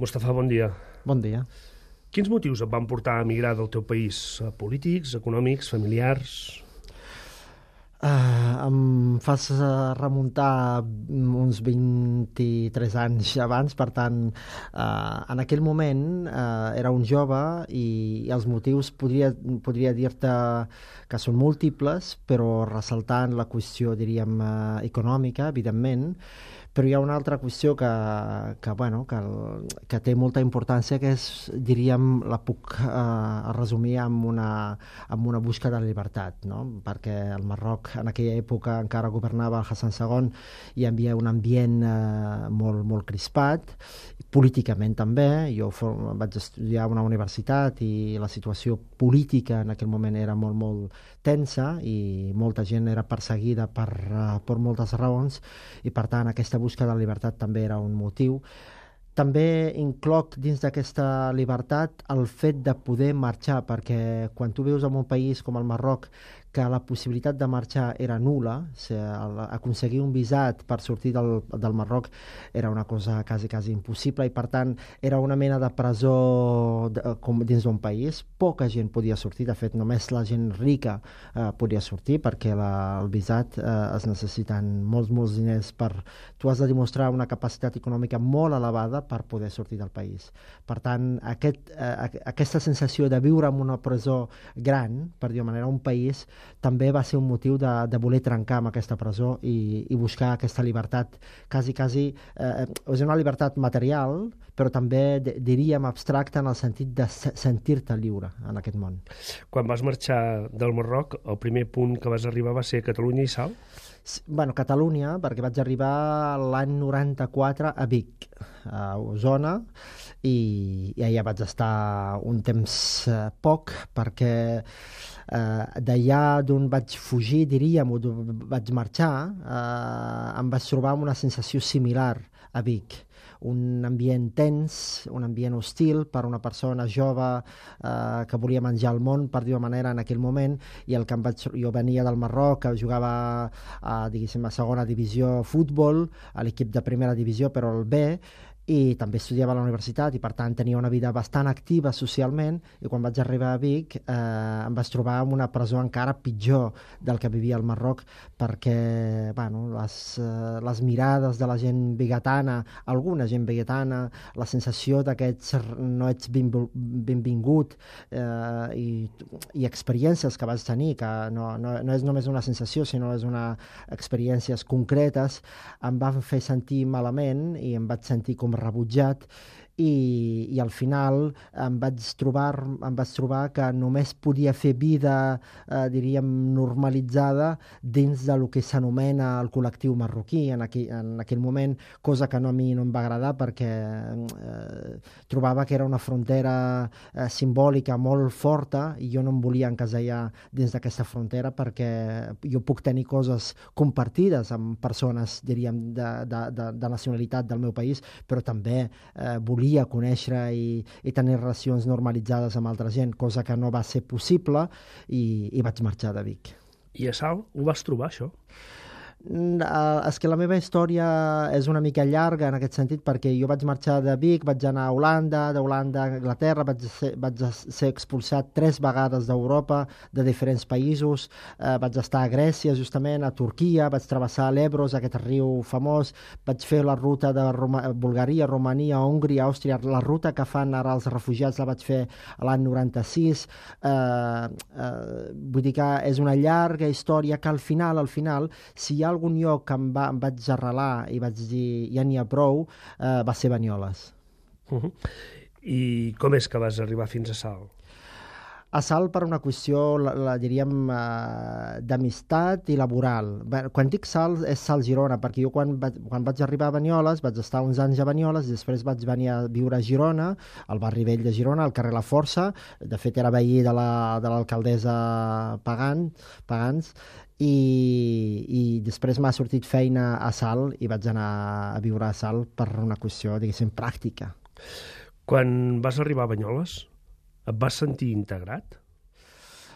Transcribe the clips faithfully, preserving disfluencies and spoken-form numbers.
Mustafa, bon dia. Bon dia. Quins motius et van portar a emigrar del teu país? Polítics, econòmics, familiars? Uh, em fas uh, remuntar uns vint-i-tres anys abans, per tant, uh, en aquell moment uh, era un jove i, i els motius podria, podria dir-te que són múltiples, però ressaltant la qüestió, diríem, uh, econòmica, evidentment, però hi ha una altra qüestió que, que, bueno, que, que té molta importància, que és, diríem, la puc uh, resumir amb una, amb una busca de llibertat, no? Perquè el Marroc en aquella època encara governava el Hassan segon i hi havia un ambient eh, molt, molt crispat, políticament també. Jo for, vaig estudiar a una universitat i la situació política en aquell moment era molt, molt tensa i molta gent era perseguida per, uh, per moltes raons i, per tant, aquesta busca de llibertat també era un motiu. També incloc dins d'aquesta llibertat el fet de poder marxar, perquè quan tu vius en un país com el Marroc, que la possibilitat de marxar era nul·la, o sigui, aconseguir un visat per sortir del, del Marroc era una cosa quasi, quasi impossible i, per tant, era una mena de presó de, com dins d'un país. Poca gent podia sortir, de fet, només la gent rica eh, podia sortir, perquè la, el visat eh, es necessiten molts, molts diners per... Tu has de demostrar una capacitat econòmica molt elevada per poder sortir del país. Per tant, aquest, eh, aquesta sensació de viure en una presó gran, per dir-ho manera, un país, també va ser un motiu de, de voler trencar amb aquesta presó i, i buscar aquesta llibertat quasi, quasi, eh, és una llibertat material, però també diríem abstracta en el sentit de sentir-te lliure en aquest món. Quan vas marxar del Marroc, el primer punt que vas arribar va ser Catalunya i Salt? Bueno, Catalunya, perquè vaig arribar l'any noranta-quatre a Vic, a Osona, i, i allà vaig estar un temps eh, poc, perquè eh, d'allà d'on vaig fugir, diríem, o d'on vaig marxar, eh, em vaig trobar amb una sensació similar a Vic. Un ambient tens, un ambient hostil per una persona jove eh, que volia menjar el món, per dir-ho manera, en aquell moment, i el que em vaig, jo venia del Marroc, que jugava a, diguéssim, a segona divisió futbol, a l'equip de primera divisió, però el B, i també estudiava a la universitat i, per tant, tenia una vida bastant activa socialment, i quan vaig arribar a Vic eh, em vaig trobar en una presó encara pitjor del que vivia al Marroc, perquè bueno, les, eh, les mirades de la gent biguetana, alguna gent biguetana, la sensació de que ets, no ets benvingut eh, i, i experiències que vaig tenir, que no, no, no és només una sensació, sinó és una experiències concretes, em van fer sentir malament i em vaig sentir com rebutjat, i, i al final em vaig trobar em vaig trobar que només podia fer vida, eh, diríem, normalitzada dins del que s'anomena el col·lectiu marroquí en aquell, en aquell moment, cosa que no, a mi no em va agradar, perquè eh, trobava que era una frontera eh, simbòlica molt forta i jo no em volia encasellar dins d'aquesta frontera, perquè jo puc tenir coses compartides amb persones, diríem, de, de, de, de nacionalitat del meu país, però també eh, volia conèixer i, i tenir relacions normalitzades amb altra gent, cosa que no va ser possible, i, i vaig marxar de Vic. I a Salt ho vas trobar, això? Uh, és que la meva història és una mica llarga en aquest sentit, perquè jo vaig marxar de Vic, vaig anar a Holanda, d'Holanda a Anglaterra, vaig ser, vaig ser expulsat tres vegades d'Europa, de diferents països, uh, vaig estar a Grècia, justament, a Turquia, vaig travessar l'Ebros, aquest riu famós, vaig fer la ruta de Roma, Bulgaria, Romania, Hongria, Àustria, la ruta que fan ara els refugiats la vaig fer l'any noranta-sis, uh, uh, vull dir que és una llarga història que al final, al final, si hi ha algun lloc que em, va, em vaig arrelar i vaig dir ja n'hi ha prou, eh, va ser Banyoles. Uh -huh. I com és que vas arribar fins a Salt? A Salt per una qüestió, la, la diríem, eh, d'amistat i laboral. Bé, quan dic Salt, és Salt-Girona, perquè jo quan vaig, quan vaig arribar a Banyoles vaig estar uns anys a Banyoles i després vaig venir a viure a Girona, al barri vell de Girona, al carrer La Força. De fet, era veí de la, de l'alcaldessa Pagant, Pagans, I, i després m'ha sortit feina a Salt i vaig anar a viure a Salt per una qüestió, diguéssim, pràctica. Quan vas arribar a Banyoles, et vas sentir integrat?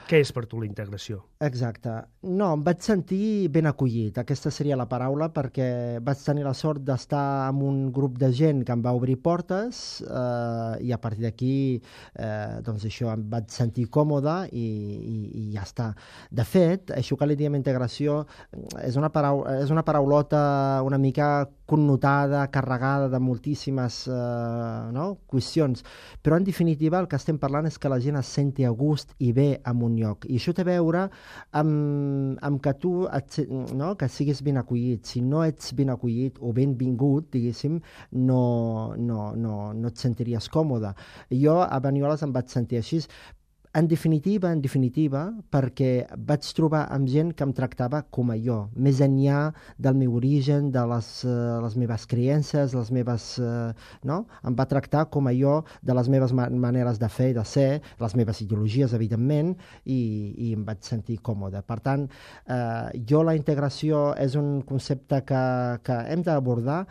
Què és per tu la integració? Exacte. No, em vaig sentir ben acollit, aquesta seria la paraula, perquè vaig tenir la sort d'estar amb un grup de gent que em va obrir portes eh, i a partir d'aquí eh, doncs això, em vaig sentir còmode i, i, i ja està. De fet, això que li diem integració és una, parau és una paraulota una mica connotada, carregada de moltíssimes eh, no? qüestions, però en definitiva el que estem parlant és que la gent es senti a gust i bé en un lloc, i això té a veure amb, amb que tu et, no? que siguis ben acollit. Si no ets ben acollit o benvingut, diguéssim, no, no, no, no et sentiries còmode. Jo a Banyoles em vaig sentir així. En definitiva, en definitiva, perquè vaig trobar amb gent que em tractava com a jo, més enllà del meu origen, de les, uh, les meves creences, les meves... Uh, no? Em va tractar com a jo, de les meves ma maneres de fer i de ser, les meves ideologies, evidentment, i, i em vaig sentir còmode. Per tant, uh, jo la integració és un concepte que, que hem d'abordar,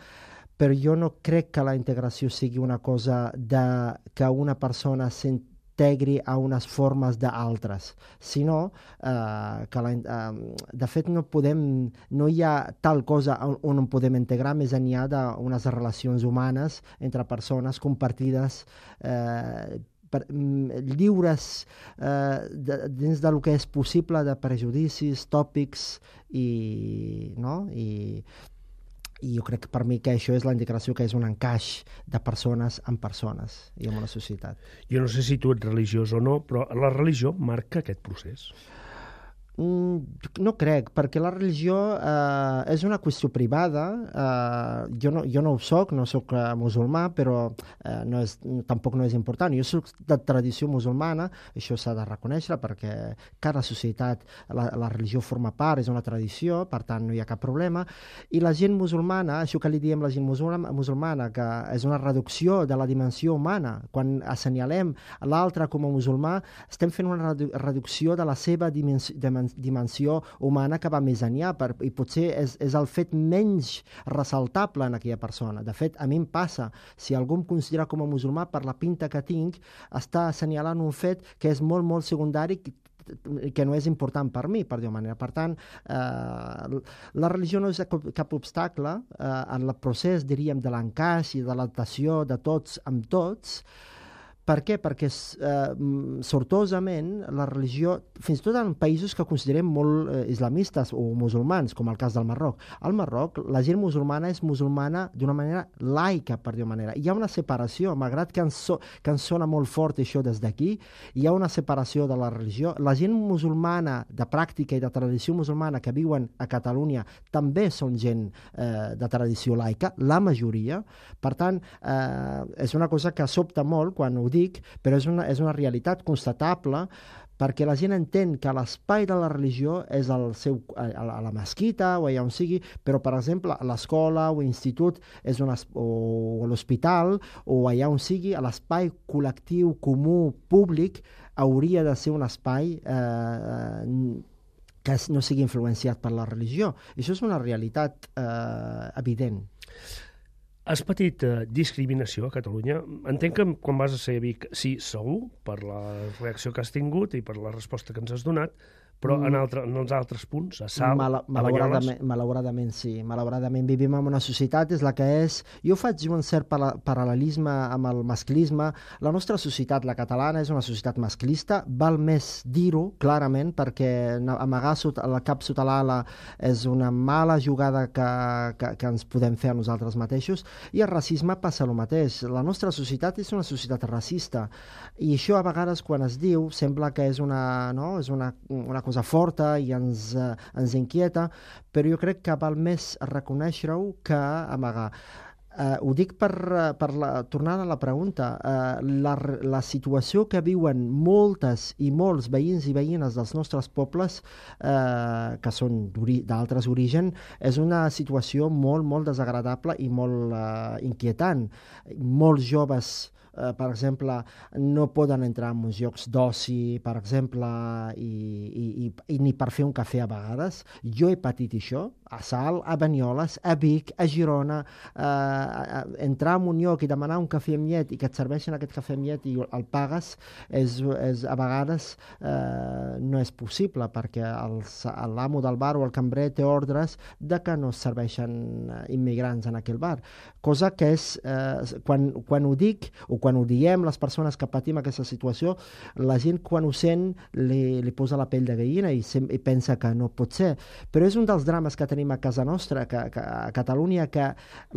però jo no crec que la integració sigui una cosa de que una persona sent integri a unes formes d'altres, sinó eh, que la, eh, de fet no podem, no hi ha tal cosa on, on podem integrar més enllà d'unes relacions humanes entre persones compartides eh, per, lliures eh, de, dins del que és possible de prejudicis, tòpics i, no? I i jo crec que per mi que això és la integració, que és un encaix de persones amb persones i en una societat. Jo no sé si tu ets religiós o no, però la religió marca aquest procés. No crec, perquè la religió eh, és una qüestió privada. Eh, jo, no, jo no ho soc, no soc eh, musulmà, però eh, no és, tampoc no és important. Jo soc de tradició musulmana, això s'ha de reconèixer, perquè cada societat, la, la religió forma part, és una tradició, per tant no hi ha cap problema. I la gent musulmana, això que li diem la gent musulmana, musulmana que és una reducció de la dimensió humana. Quan assenyalem l'altre com a musulmà, estem fent una redu reducció de la seva dimensió, dimensió humana que va més enllà, per, i potser és, és el fet menys ressaltable en aquella persona. De fet, a mi em passa, si algú em considera com a musulmà per la pinta que tinc, està assenyalant un fet que és molt, molt secundari, que no és important per mi, per dir-ho manera. Per tant, eh, la religió no és cap, cap obstacle eh, en el procés, diríem, de l'encaix i de l'adaptació de tots amb tots. Per què? Perquè eh, sortosament la religió, fins i tot en països que considerem molt eh, islamistes o musulmans, com el cas del Marroc. Al Marroc, la gent musulmana és musulmana d'una manera laica, per dir-ho manera. Hi ha una separació, malgrat que ens, so, que ens sona molt fort això des d'aquí, hi ha una separació de la religió. La gent musulmana de pràctica i de tradició musulmana que viuen a Catalunya també són gent eh, de tradició laica, la majoria. Per tant, eh, és una cosa que sobta molt quan ho dic, però és una, és una realitat constatable, perquè la gent entén que l'espai de la religió és el seu, a, a la mesquita o allà on sigui, però, per exemple, a l'escola o institut és un, o a l'hospital o allà on sigui, a l'espai col·lectiu, comú, públic, hauria de ser un espai eh, que no sigui influenciat per la religió. I això és una realitat eh, evident. Has patit eh, discriminació a Catalunya? Entenc que quan vas a ser a Vic, sí, segur, per la reacció que has tingut i per la resposta que ens has donat, però en, altre, en els altres punts, a Salt, Mal, a Banyoles... Malauradament, sí. Malauradament vivim en una societat, és la que és. Jo faig un cert paral·lelisme amb el masclisme. La nostra societat, la catalana, és una societat masclista. Val més dir-ho, clarament, perquè amagar el cap sota l'ala és una mala jugada que, que, que ens podem fer a nosaltres mateixos. I el racisme passa el mateix. La nostra societat és una societat racista. I això, a vegades, quan es diu, sembla que és una, no? és una, una cosa forta i ens, eh, ens inquieta, però jo crec que val més reconèixer-ho que amagar. Eh, ho dic per, per la, tornant a la pregunta, eh, la, la situació que viuen moltes i molts veïns i veïnes dels nostres pobles, eh, que són d'altres orígens, és una situació molt, molt desagradable i molt eh, inquietant. Molts joves eh, per exemple, no poden entrar en uns llocs d'oci, per exemple, i, i, i, i ni per fer un cafè a vegades. Jo he patit això, a Salt, a Banyoles, a Vic, a Girona, eh, entrar en un lloc i demanar un cafè amb llet i que et serveixen aquest cafè amb llet i el pagues, és, és, a vegades eh, no és possible, perquè l'amo del bar o el cambrer té ordres de que no es serveixen immigrants en aquell bar. Cosa que és, eh, quan, quan ho dic o quan ho diem les persones que patim aquesta situació, la gent quan ho sent li, li posa la pell de gallina i, sem i pensa que no pot ser. Però és un dels drames que tenim a casa nostra, que, que a Catalunya, que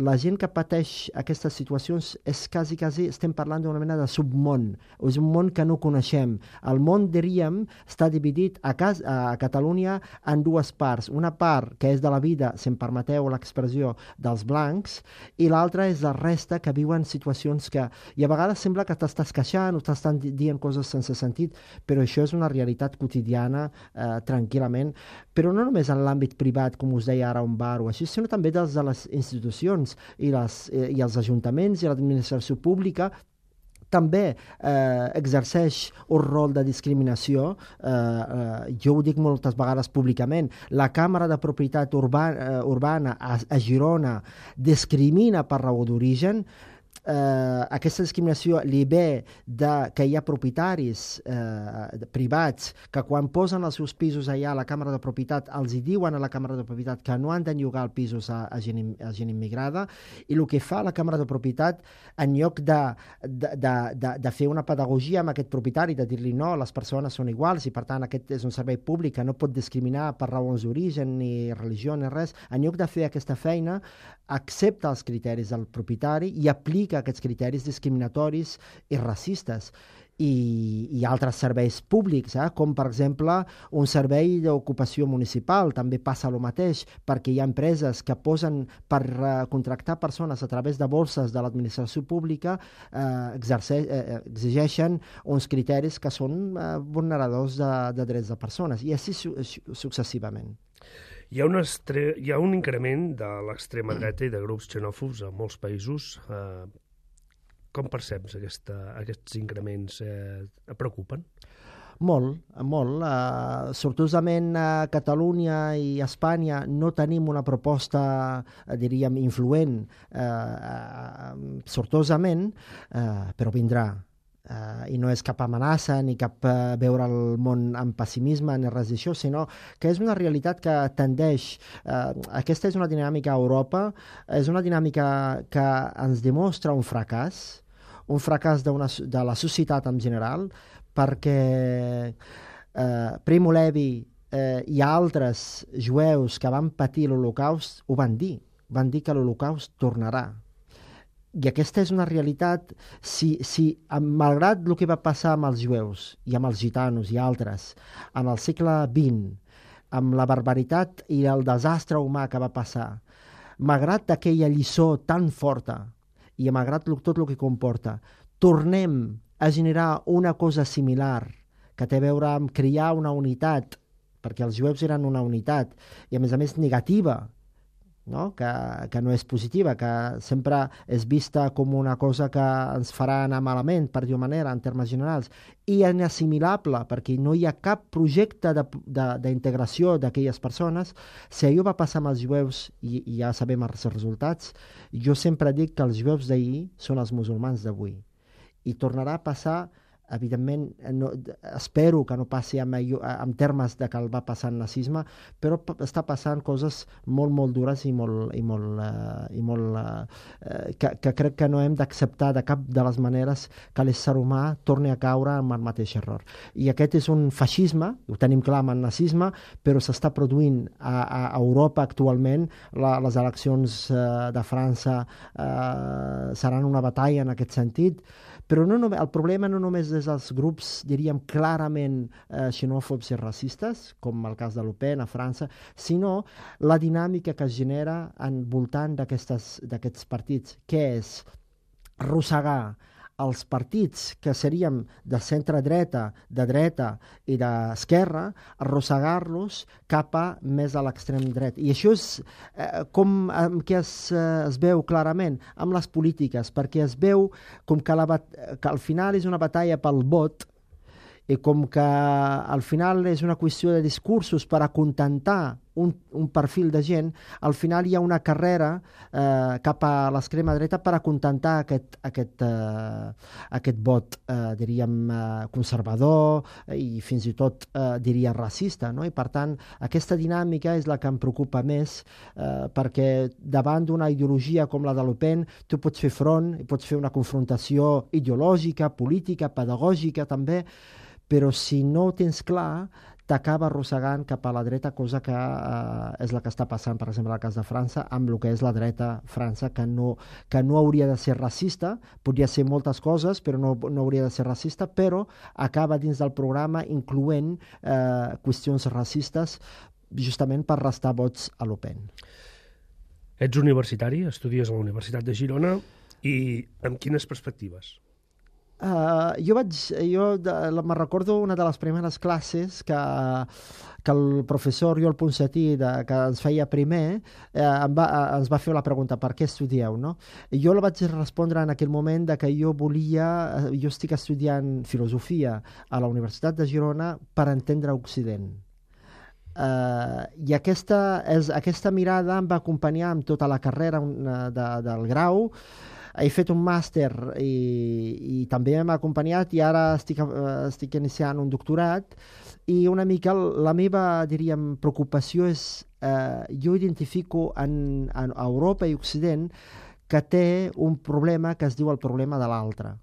la gent que pateix aquestes situacions és quasi, quasi, estem parlant d'una mena de submón, és un món que no coneixem. El món, diríem, està dividit a, cas, a Catalunya en dues parts. Una part que és de la vida, si em permeteu l'expressió, dels blancs, i l'altra és la resta que viuen situacions que, i a vegades sembla que t'estàs queixant o t'estan dient coses sense sentit, però això és una realitat quotidiana eh, tranquil·lament, però no només en l'àmbit privat, com us deia ara, un bar o així, sinó també dels de les institucions i, les, eh, i els ajuntaments i l'administració pública també eh, exerceix un rol de discriminació. Eh, eh, jo ho dic moltes vegades públicament. La Càmera de Propietat Urbana, eh, urbana a, a Girona discrimina per raó d'origen. Eh, aquesta discriminació li ve de que hi ha propietaris eh, privats que quan posen els seus pisos allà a la Càmera de Propietat els hi diuen a la Càmera de Propietat que no han de llogar els pisos a, a, gent, a gent immigrada, i el que fa la Càmera de Propietat, en lloc de, de, de, de, de fer una pedagogia amb aquest propietari, de dir-li no, les persones són iguals i per tant aquest és un servei públic que no pot discriminar per raons d'origen ni religió ni res, en lloc de fer aquesta feina accepta els criteris del propietari i aplica aquests criteris discriminatoris i racistes. I, i altres serveis públics, eh? Com per exemple un servei d'ocupació municipal, també passa el mateix, perquè hi ha empreses que posen per uh, contractar persones a través de borses de l'administració pública, eh, exerce, eh, exigeixen uns criteris que són eh, vulneradors de, de drets de persones, i així su successivament. Hi ha, un estre... Hi ha un increment de l'extrema dreta i de grups xenòfobs a molts països. Eh, com perceps aquesta, aquests increments? Eh, et preocupen? Molt, molt. Uh, sortosament a Catalunya i a Espanya no tenim una proposta, uh, diríem, influent, uh, uh, sortosament, uh, però vindrà. Uh, i no és cap amenaça ni cap uh, veure el món amb pessimisme ni res d'això, sinó que és una realitat que tendeix. Uh, aquesta és una dinàmica a Europa, és una dinàmica que ens demostra un fracàs, un fracàs de, una, de la societat en general, perquè uh, Primo Levi uh, i altres jueus que van patir l'Holocaust ho van dir, van dir que l'Holocaust tornarà. I aquesta és una realitat. Si, si, malgrat el que va passar amb els jueus i amb els gitanos i altres en el segle vint, amb la barbaritat i el desastre humà que va passar, malgrat aquella lliçó tan forta i malgrat tot el que comporta, tornem a generar una cosa similar que té a veure amb crear una unitat, perquè els jueus eren una unitat, i a més a més negativa, no? Que, que no és positiva, que sempre és vista com una cosa que ens farà anar malament, per dir-ho manera, en termes generals, i inassimilable, perquè no hi ha cap projecte d'integració d'aquelles persones. Si allò va passar amb els jueus, i, i ja sabem els resultats, jo sempre dic que els jueus d'ahir són els musulmans d'avui. I tornarà a passar, evidentment, no, espero que no passi en, en termes de que el va passar el nazisme, però està passant coses molt, molt dures i molt, i molt, uh, i molt uh, que, que crec que no hem d'acceptar de cap de les maneres que l'ésser humà torni a caure en el mateix error. I aquest és un feixisme, ho tenim clar amb el nazisme, però s'està produint a, a Europa actualment. La, les eleccions uh, de França uh, seran una batalla en aquest sentit, però no, el problema no només és els grups, diríem, clarament eh, xenòfobs i racistes, com el cas de Le Pen a França, sinó la dinàmica que es genera en voltant d'aquests partits, que és arrossegar els partits que seríem de centre-dreta, de dreta i d'esquerra, arrossegar-los cap a més a l'extrem dret. I això és eh, com amb què es, eh, es veu clarament amb les polítiques, perquè es veu com que, la, que al final és una batalla pel vot, i com que al final és una qüestió de discursos per acontentar un, un perfil de gent, al final hi ha una carrera eh, cap a l'extrema dreta per acontentar aquest, aquest, eh, aquest vot, eh, diríem, eh, conservador i fins i tot, eh, diria, racista. No? I per tant, aquesta dinàmica és la que em preocupa més, eh, perquè davant d'una ideologia com la de Le Pen, tu pots fer front, pots fer una confrontació ideològica, política, pedagògica també, però si no ho tens clar, t'acaba arrossegant cap a la dreta, cosa que eh, és la que està passant, per exemple, al cas de França, amb el que és la dreta França, que no, que no hauria de ser racista, podria ser moltes coses, però no, no hauria de ser racista, però acaba dins del programa incloent eh, qüestions racistes justament per restar vots a Le Pen. Ets universitari, estudies a la Universitat de Girona, i amb quines perspectives? Uh, jo vaig, jo de, me recordo una de les primeres classes que, que el professor Oriol Ponsatí, de, que ens feia primer, eh, em va, ens va fer la pregunta, per què estudieu? No? I jo la vaig respondre en aquell moment de que jo volia, jo estic estudiant filosofia a la Universitat de Girona per entendre Occident. Uh, I aquesta, és, aquesta mirada em va acompanyar amb tota la carrera una, de, del grau. He fet un màster i, i també m'ha acompanyat i ara estic, uh, estic iniciant un doctorat i una mica la meva, diríem, preocupació és, uh, jo identifico en, en Europa i Occident que té un problema que es diu el problema de l'altre.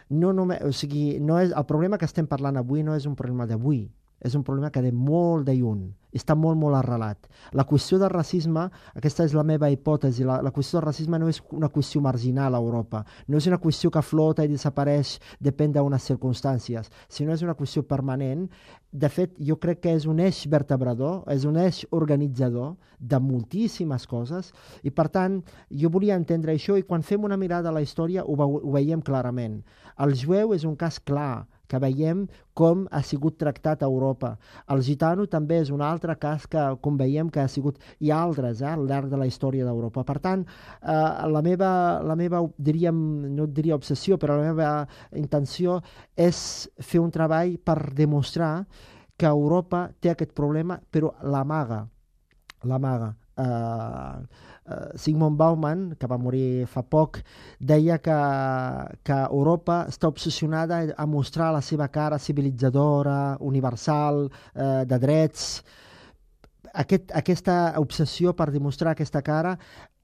No només, o sigui, no és, el problema que estem parlant avui no és un problema d'avui, és un problema que ve molt de lluny, està molt, molt arrelat. La qüestió del racisme, aquesta és la meva hipòtesi, la, la qüestió del racisme no és una qüestió marginal a Europa, no és una qüestió que flota i desapareix, depèn d'unes circumstàncies, sinó és una qüestió permanent. De fet, jo crec que és un eix vertebrador, és un eix organitzador de moltíssimes coses, i per tant, jo volia entendre això, i quan fem una mirada a la història ho, ho veiem clarament. El jueu és un cas clar, que veiem com ha sigut tractat a Europa. El gitano també és un altre cas que, com veiem, que ha sigut, i altres, eh, al llarg de la història d'Europa. Per tant, eh, la meva, la meva, diríem, no diria obsessió, però la meva intenció és fer un treball per demostrar que Europa té aquest problema, però l'amaga, l'amaga. Uh, uh, Sigmund Bauman, que va morir fa poc, deia que, que Europa està obsessionada a mostrar la seva cara civilitzadora, universal, uh, de drets. Aquest, aquesta obsessió per demostrar aquesta cara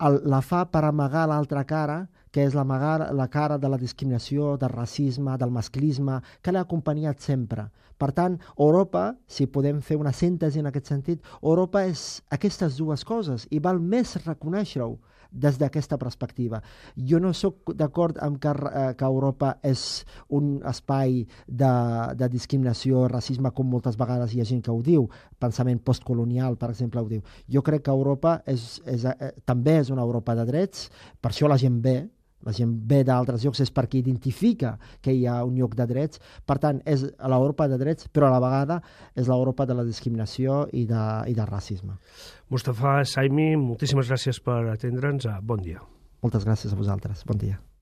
el, la fa per amagar l'altra cara, que és l'amagar la cara de la discriminació, del racisme, del masclisme, que l'ha acompanyat sempre. Per tant, Europa, si podem fer una síntesi en aquest sentit, Europa és aquestes dues coses i val més reconèixer-ho des d'aquesta perspectiva. Jo no sóc d'acord amb que, eh, que Europa és un espai de, de discriminació, racisme, com moltes vegades hi ha gent que ho diu, pensament postcolonial, per exemple, ho diu. Jo crec que Europa és, és, eh, també és una Europa de drets, per això la gent ve, la gent ve d'altres llocs, és perquè identifica que hi ha un lloc de drets. Per tant, és l'Europa de drets, però a la vegada és l'Europa de la discriminació i, de, i del racisme. Mustafa Saimi, moltíssimes gràcies per atendre'ns. Bon dia. Moltes gràcies a vosaltres. Bon dia.